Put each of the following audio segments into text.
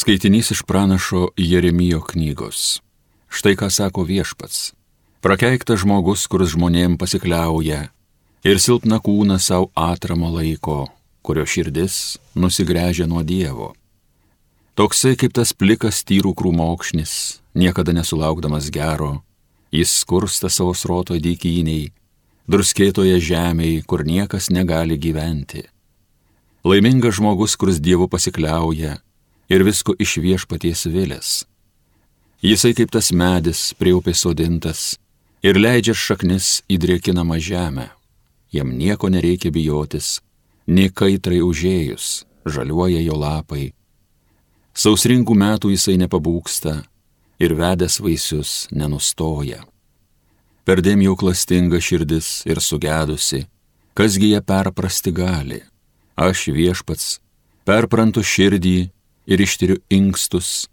Skaitinys iš pranašo Jeremijo knygos. Štai ką sako Viešpats. Prakeiktas žmogus, kuris žmonėm pasikliauja, ir silpną kūną savo atramo laiko, kurio širdis nusigręžia nuo Dievo. Toksai kaip tas plikas tyrų krūmokšnis, niekada nesulaukdamas gero, jis skursta savo sroto dykyniai, druskėtoje žemėje, kur niekas negali gyventi. Laimingas žmogus, kuris Dievu pasikliauja ir visko iš Viešpaties vilės. Jisai kaip tas medis prie upės sodintas ir leidžia šaknis į drėkinamą žemę. Jam nieko nereikia bijotis, nei kaitrai užėjus, žaliuoja jo lapai. Sausringų metų jisai nepabūksta ir vedęs vaisius nenustoja. Perdėm jau klastinga širdis ir sugedusi, kasgi ją perprasti gali. Aš Viešpats perprantu širdį ir ištiriu inkstus,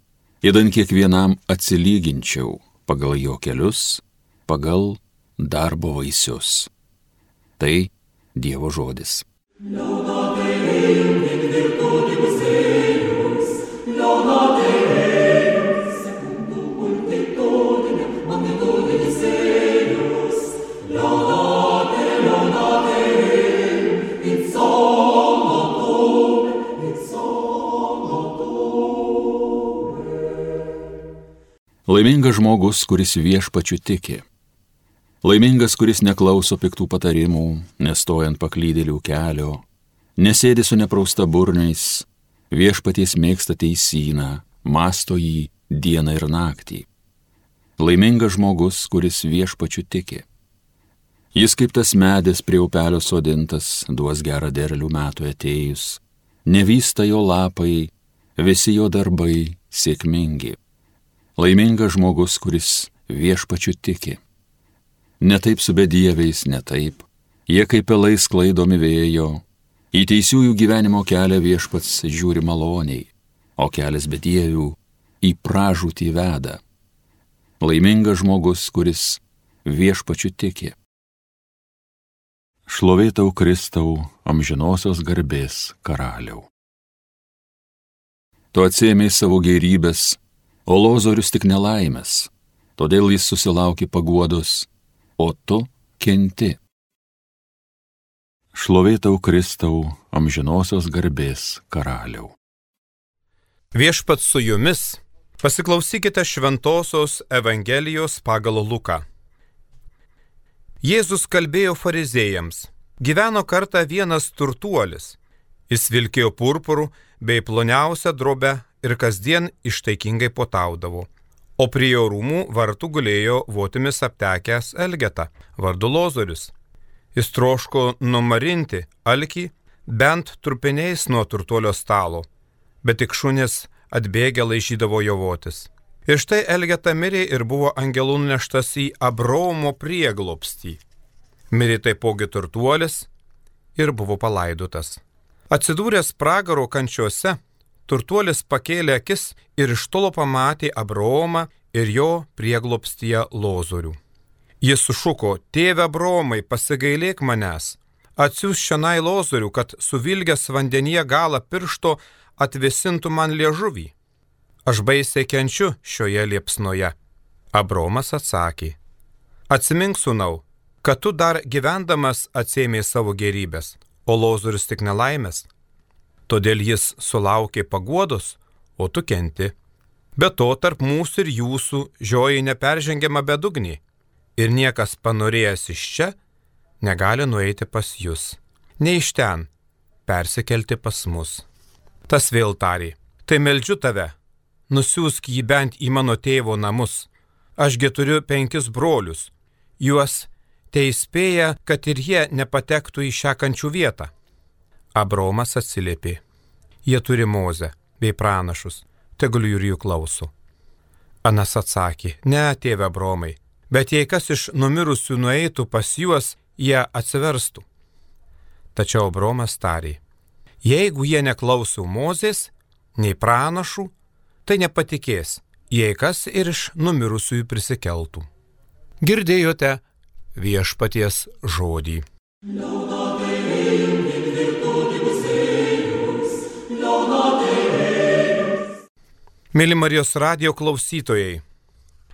įdan kiekvienam atsilyginčiau pagal jo kelius, pagal darbo vaisius. Tai Dievo žodis. Laimingas žmogus, kuris Viešpačiu tiki. Laimingas, kuris neklauso piktų patarimų, nestojant paklydėlių kelio, nesėdi su neprausta burniais, Viešpaties mėgsta teisyną, mąsto jį dieną ir naktį. Laimingas žmogus, kuris Viešpačiu tiki. Jis kaip tas medis prie upelio sodintas, duos gerą derlių metų atėjus, nevysta jo lapai, visi jo darbai sėkmingi. Laimingas žmogus, kuris Viešpačiu tiki. Ne taip su bedieviais, ne taip. Jie kaip pelai sklaidomi vėjo. Į teisiųjų gyvenimo kelią Viešpats žiūri maloniai, o kelias bedievių į pražūtį veda. Laimingas žmogus, kuris Viešpačiu tiki. Šlovė tau, Kristau, amžinosios garbės karaliau. Tu atsiėmei savo gėrybės, o Lozorius tik nelaimės, todėl jis susilaukė paguodos, o tu kenti. Šlovė tau, Kristau, amžinosios garbės karaliau. Viešpats su jumis, pasiklausykite šventosios Evangelijos pagal Luką. Jėzus kalbėjo farizėjams. Gyveno kartą vienas turtuolis. Jis vilkėjo purpurų bei ploniausią drobę ir kasdien ištaikingai puotaudavo. O prie jo rūmų vartų gulėjo votimis aptekęs elgeta, vardu Lozorius. Jis troško numarinti alkį bent trupiniais nuo turtuolio stalo, bet tik šunis atbėgę laižydavo jo votis. Ir štai elgeta mirė ir buvo angelų nuneštas į Abraomo prieglobstį. Mirė taipogi turtuolis ir buvo palaidotas. Atsidūręs pragaro kančiuose, turtuolis pakėlė akis ir iš tolo pamatė Abraomą ir jo prieglobstyje Lozorių. Jis sušuko: Tėve Abraomai, pasigailėk manęs, atsiųsk čionai Lozorių, kad suvilgęs vandenyje galą piršto atvėsintų man liežuvį. Aš baisiai kenčiu šioje liepsnoje. Abraomas atsakė: Atsimink, sūnau, kad tu dar gyvendamas atsėmei savo gėrybės, o Lozorius tik nelaimės. Todėl jis sulaukė paguodos, o tu kenti. Be to, tarp mūsų ir jūsų žioji neperžengiama bedugnė, ir niekas panorėjęs iš čia negali nueiti pas jūs, ne iš ten persikelti pas mus. Tas vėl tarė: Tai meldžiu tave, nusiųsk jį bent į mano tėvo namus. Ašgi turiu 5 brolius, juos teįspėja, kad ir jie nepatektų į šią kančių vietą. Abraomas atsiliepė: Jie turi Mozę bei pranašus, tegul ir jų klauso. Anas atsakė: Ne, tėve Abraomai, bet jei kas iš numirusių nueitų pas juos, jie atsiverstų. Tačiau Abraomas tarė: Jeigu jie neklauso Mozės, nei pranašų, tai nepatikės, jei kas ir iš numirusiųjų prisikeltų. Girdėjote Viešpaties žodį. Mėly Marijos radijo klausytojai,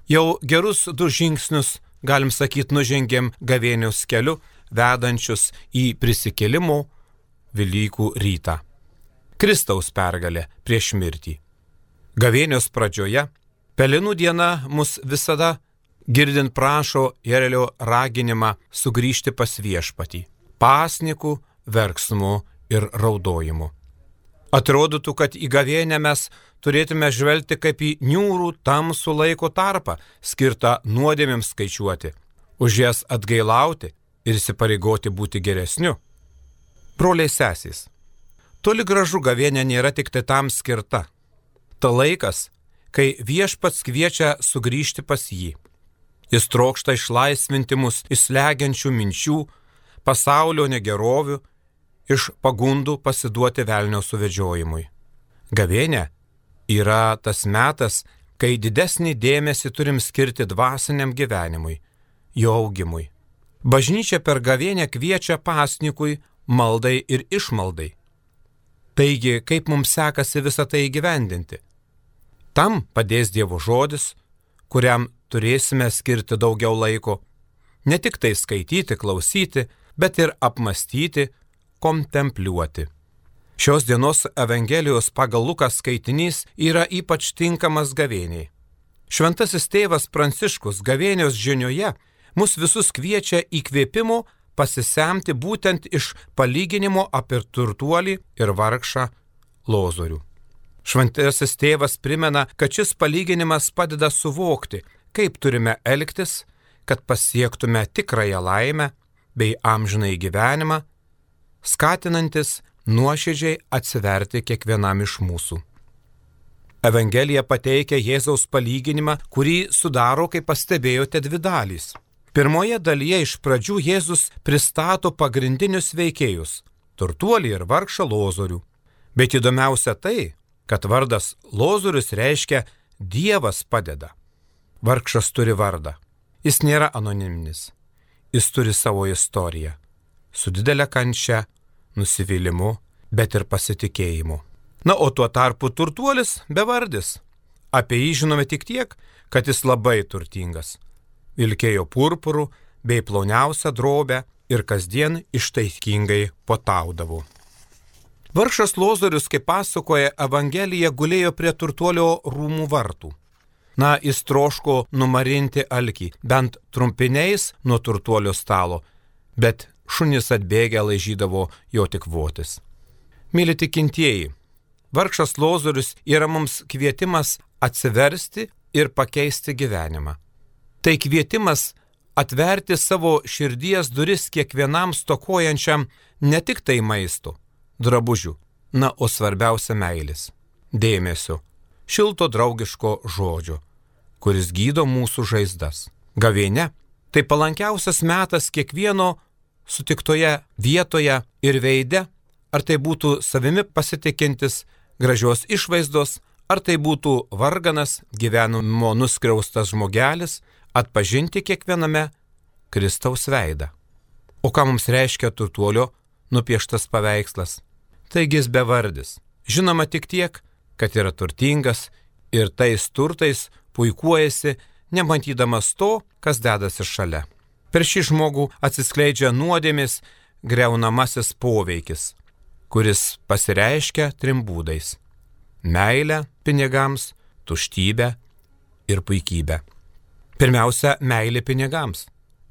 jau gerus 2 žingsnius, galim sakyti, nužengėm gavėnios keliu, vedančius į prisikėlimo Velykų rytą. Kristaus pergalė prieš mirtį. Gavėnios pradžioje, Pelenų diena mus visada girdint prašo Jerelio raginimą sugrįžti pas viešpatį, pasnikų, verksmu ir raudojimu. Atrodytų, kad į gavėnią mes turėtume žvelgti kaip į niūrų tamsų laiko tarpą, skirtą nuodėmėms skaičiuoti, už jas atgailauti ir įsipareigoti būti geresniu. Broliai sesės, toli gražu gavėnė nėra tik tai tam skirta. Ta laikas, kai viešpats kviečia sugrįžti pas jį. Jis trokšta išlaisvinti mus iš slegiančių minčių, pasaulio negerovių, iš pagundų pasiduoti velnio suvedžiojimui. Gavėnė yra tas metas, kai didesnį dėmesį turim skirti dvasiniam gyvenimui, jo augimui. Bažnyčia per gavėnę kviečia pasnikui, maldai ir išmaldai. Taigi, kaip mums sekasi visą tai įgyvendinti? Tam padės Dievo žodis, kuriam turėsime skirti daugiau laiko, ne tik tai skaityti, klausyti, bet ir apmastyti, kontempliuoti. Šios dienos Evangelijos pagal Luką skaitinys yra ypač tinkamas gavėniai. Šventasis tėvas Pranciškus gavėnios žinioje mus visus kviečia įkvėpimo pasisemti būtent iš palyginimo apie turtuolį ir vargšą Lozorių. Šventasis tėvas primena, kad šis palyginimas padeda suvokti, kaip turime elgtis, kad pasiektume tikrąją laimę bei amžinąjį gyvenimą, skatinantis nuoširdžiai atsiverti kiekvienam iš mūsų. Evangelija pateikia Jėzaus palyginimą, kurį sudaro, kaip pastebėjote, 2 dalys. Pirmoje dalyje iš pradžių Jėzus pristato pagrindinius veikėjus – turtuolį ir vargšą Lozorių. Bet įdomiausia tai, kad vardas Lozorius reiškia Dievas padeda. Vargšas turi vardą. Jis nėra anoniminis. Jis turi savo istoriją. Su didelė kančia, nusivylimu, bet ir pasitikėjimu. Na, o tuo tarpu turtuolis bevardis. Apie jį žinome tik tiek, kad jis labai turtingas. Vilkėjo purpurų bei ploniausią drobę ir kasdien ištaikingai puotaudavo. Vargšas Lozorius, kaip pasakoja Evangelija, gulėjo prie turtuolio rūmų vartų. Na, jis troško numarinti alkį, bent trumpiniais nuo turtuolio stalo, bet šunys atbėgę laižydavo jo tik votis. Myli tikintieji, vargšas Lozorius yra mums kvietimas atsiversti ir pakeisti gyvenimą. Tai kvietimas atverti savo širdies duris kiekvienam stokojančiam ne tik tai maisto, drabužių, na, o svarbiausia meilės, dėmesio, šilto draugiško žodžio, kuris gydo mūsų žaizdas. Gavėnia – tai palankiausias metas kiekvieno sutiktoje vietoje ir veide, ar tai būtų savimi pasitikintis, gražios išvaizdos, ar tai būtų varganas, gyvenimo nuskriaustas žmogelis, atpažinti kiekviename Kristaus veidą. O ką mums reiškia turtuolio nupieštas paveikslas? Taigi jis bevardis. Žinoma tik tiek, kad yra turtingas ir tais turtais puikuojasi, nematydamas to, kas dedasi šalia. Per šį žmogų atsiskleidžia nuodėmės greunamasis poveikis, kuris pasireiškia 3 būdais – meilę pinigams, tuštybę ir puikybę. Pirmiausia, meilė pinigams.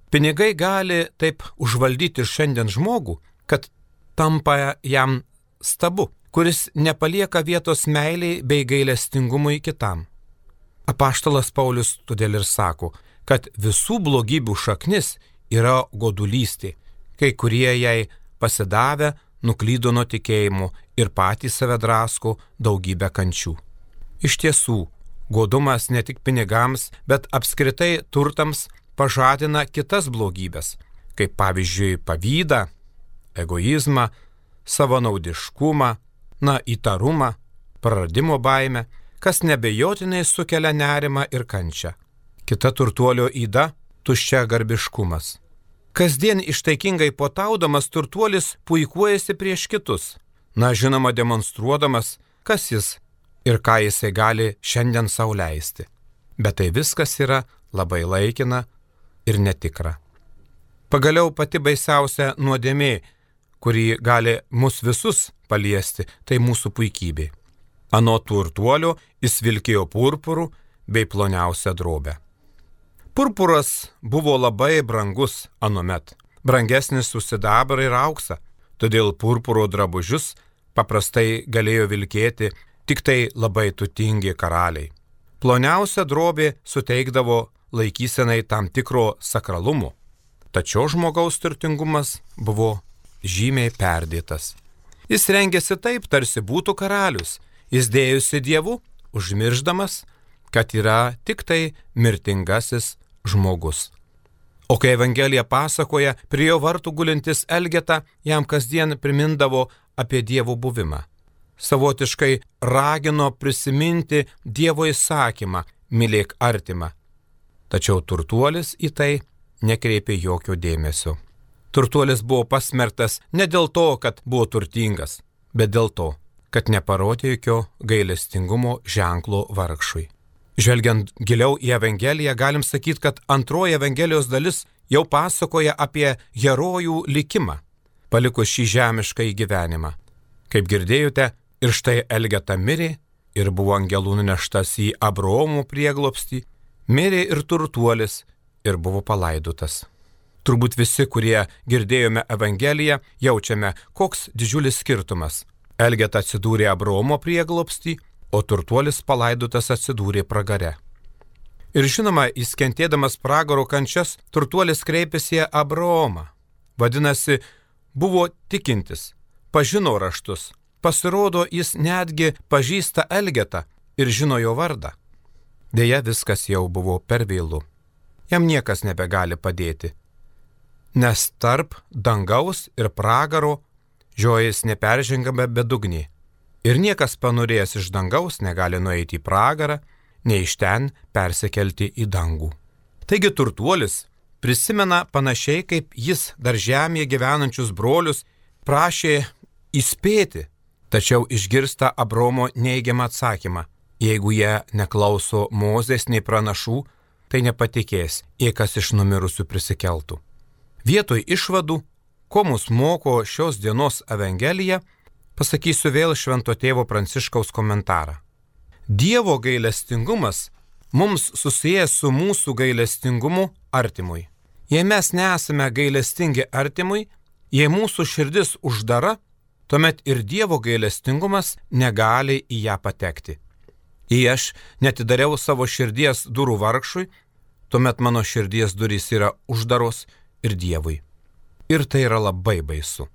Pinigai gali taip užvaldyti šiandien žmogų, kad tampa jam stabu, kuris nepalieka vietos meiliai bei gailestingumui kitam. Apaštalas Paulius todėl ir sako, kad visų blogybių šaknis yra godulystė, kai kurie jai pasidavę nuklydo nuo tikėjimo ir patys save drasko daugybę kančių. Iš tiesų, godumas ne tik pinigams, bet apskritai turtams pažadina kitas blogybės, kaip pavyzdžiui pavydą, egoizmą, savanaudiškumą, įtarumą, praradimo baimę, kas nebejotinai sukelia nerimą ir kančią. Kita turtuolio yda – tuščia garbiškumas. Kasdien ištaikingai puotaudamas turtuolis puikuojasi prieš kitus, žinoma demonstruodamas, kas jis ir ką jisai gali šiandien sau leisti. Bet tai viskas yra labai laikina ir netikra. Pagaliau pati baisiausia nuodėmė, kuri gali mus visus paliesti, tai mūsų puikybė. Anot turtuolio jis vilkėjo purpurų bei ploniausią drobę. Purpuras buvo labai brangus anuomet, brangesnis už sidabrą ir auksą, todėl purpuro drabužius paprastai galėjo vilkėti tik tai labai turtingi karaliai. Ploniausia drobė suteikdavo laikysenai tam tikro sakralumo, tačiau žmogaus turtingumas buvo žymiai perdėtas. Jis rengėsi taip, tarsi būtų karalius, jis dėjosi Dievu, užmirždamas, kad yra tik tai mirtingasis žmogus. O kai Evangelija pasakoja, prie jo vartų gulintis Elgeta jam kasdien primindavo apie Dievo buvimą. Savotiškai ragino prisiminti Dievo įsakymą, mylėk artimą. Tačiau turtuolis į tai nekreipė jokio dėmesio. Turtuolis buvo pasmerktas ne dėl to, kad buvo turtingas, bet dėl to, kad neparodė jokio gailestingumo ženklo vargšui. Žvelgiant giliau į Evangeliją, galim sakyti, kad antroji Evangelijos dalis jau pasakoja apie herojų likimą, palikus šį žemišką gyvenimą. Kaip girdėjote, ir štai Elgeta mirė ir buvo angelų nuneštas į Abraomo prieglobstį, mirė ir turtuolis ir buvo palaidotas. Turbūt visi, kurie girdėjome Evangeliją, jaučiame, koks didžiulis skirtumas. Elgeta atsidūrė Abraomo prieglobstį, o turtuolis palaidotas atsidūrė pragare. Ir žinoma, jis kentėdamas pragaro kančias, turtuolis kreipėsi į Abraomą. Vadinasi, buvo tikintis, pažino raštus. Pasirodo, jis netgi pažįsta Elgetą ir žino jo vardą. Deja, viskas jau buvo per vėlu. Jam niekas nebegali padėti. Nes tarp dangaus ir pragaro žiojas neperžengama bedugnė. Ir niekas panorėjęs iš dangaus negali nueiti į pragarą, nei iš ten persikelti į dangų. Taigi turtuolis prisimena panašiai, kaip jis dar žemėje gyvenančius brolius prašė įspėti, tačiau išgirsta Abraomo neigiamą atsakymą. Jeigu jie neklauso Mozės nei pranašų, tai nepatikės, jei kas iš numirusių prisikeltų. Vietoj išvadų, ko mus moko šios dienos Evangelija, pasakysiu vėl Švento tėvo Pranciškaus komentarą. Dievo gailestingumas mums susijęs su mūsų gailestingumu artimui. Jei mes nesame gailestingi artimui, jei mūsų širdis uždara, tuomet ir Dievo gailestingumas negali į ją patekti. Jei aš netidariau savo širdies durų vargšui, tuomet mano širdies durys yra uždaros ir Dievui. Ir tai yra labai baisu.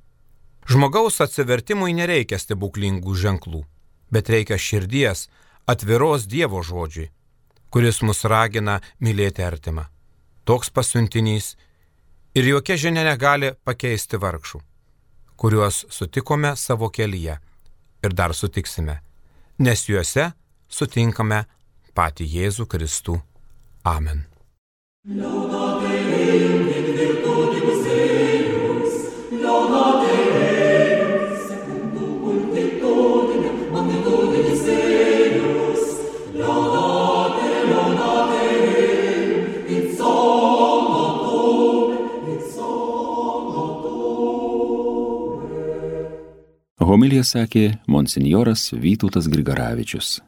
Žmogaus atsivertimui nereikia stebuklingų ženklų, bet reikia širdies atviros Dievo žodžiui, kuris mus ragina mylėti artimą. Toks pasiuntinys ir jokia žinia negali pakeisti vargšų, kuriuos sutikome savo kelyje ir dar sutiksime, nes juose sutinkame patį Jėzų Kristų. Amen. Homiliją sakė monsinjoras Vytautas Grigaravičius.